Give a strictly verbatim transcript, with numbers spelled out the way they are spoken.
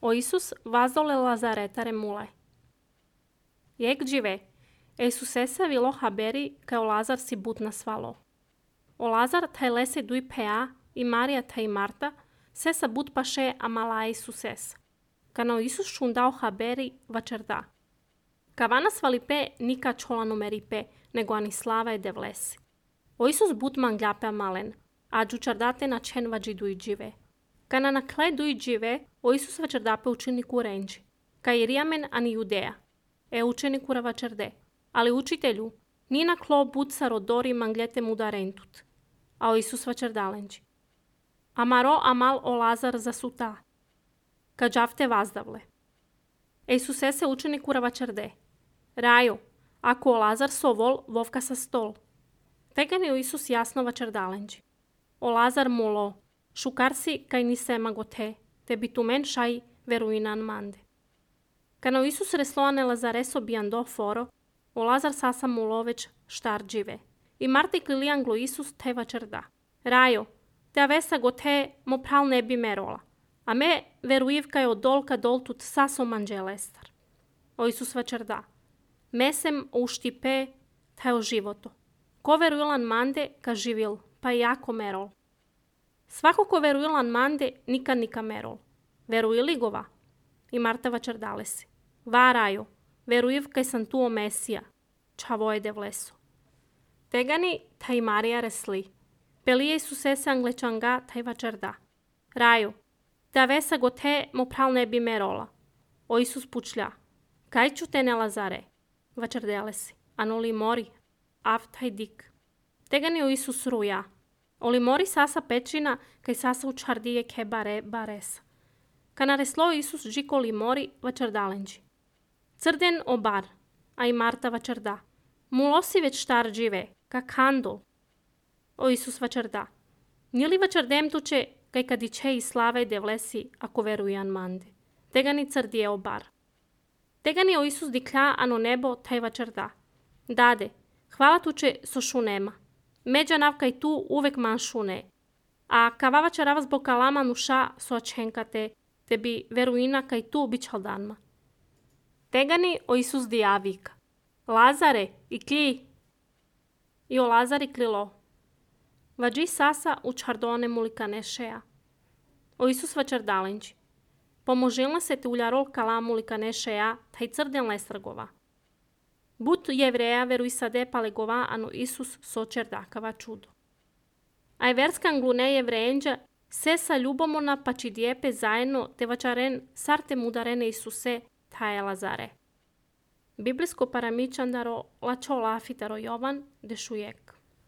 O Isus vázole Lazaretare mule. Jak žive, Isus esa vilo haberi ka o Lazar si butna svalo. O Lazar taj lese dui pea i Maria taj Marta sesa but paše amala Isus esa. Kana o Isus šundao haberi vačerda. Kavana svalipe nika čola numeripe, nego ani slava je devlesi. O Isus but mangljape malen, a džučardate na čen vađi dui džive. Kana na kle dui džive, o Isus vačerdape učeniku renđi. Ka iriamen ani Judeja. E učeniku ravačerde. Ali učitelju, ni na klo but sa rodori manglete muda rentut. A o Isus vačerdalenđi. Amaro amal o Lazar zasuta. Ka džavte vazdavle. E Isus ese učeniku ravačerde. Rajo, ako o Lazar sovol, vovka sa stol. Tegani o Isus jasno vačerdalenđi. O Lazar mulo, šukarsi kaj ni sema gote, te bitumen šaj veruinan mande. Kana o Isus resloane Lazareso biando foro, o Lazar sasa mulo već štar džive. I Marti klilianglo Isus te vačerda. Rajo, te avesa gote mo pral ne bi merola, a me veruivka je od dolka doltut saso manđelestar. O Isus vačerda. Mesem o uštipe te o životo. Ko veruilan mande ka živil, pa i jako merol. Svako ko veruilan mande nikad nika merol. Veruili gova? I Marta vačerdale si. Va rajo, veruiv kaj sam tu o Mesija. Čavo je devleso. Tegani taj Marija resli. Pelije su sese anglečanga taj vačerda. Rajo, te avesa gote mo pral ne bi merola. O Isus pučlja. Kaj ću te ne Lazare? Vačerdele si. Anoli mori. Av taj dik. Tegani o Isus ruja. Oli mori sasa pečina kaj sasa u čardije ke bare baresa. Kana reslo Isus džiko li mori vačerdalenđi. Crden o bar. A i Marta vačerda. Mulosi već štar džive. Ka kandol. O Isus vačerda. Nili vačerdem tuče kaj kadiče i slava i devlesi ako verujan mande. Tegani crdije o bar. Tegani o Isus diklja ano nebo taj vačerda. Dade, hvala tuče so šunema. Međa navkaj tu uvek man šune. A kavava čarava zbog kalama nuša so ačenkate, te bi veruina kaj tu bićal danma. Tegani o Isus dijavika. Lazare, i kli. I o Lazari klilo. Vađi sasa u čardone mulika nešeja. O Isus vačerdalenđi. Pomožilna se te uljarol kala mulika nešeja, taj crden lesrgova. But jevreja veruj sade palegova anu Isus so čerdakava čudo. Aj verskan glune jevrejenđa se sa ljubomona pa či dijepe zajedno te vačaren sarte mudarene Isuse taje Lazare. Biblijsko paramičandaro lačo lafitaro Jovan dešujek.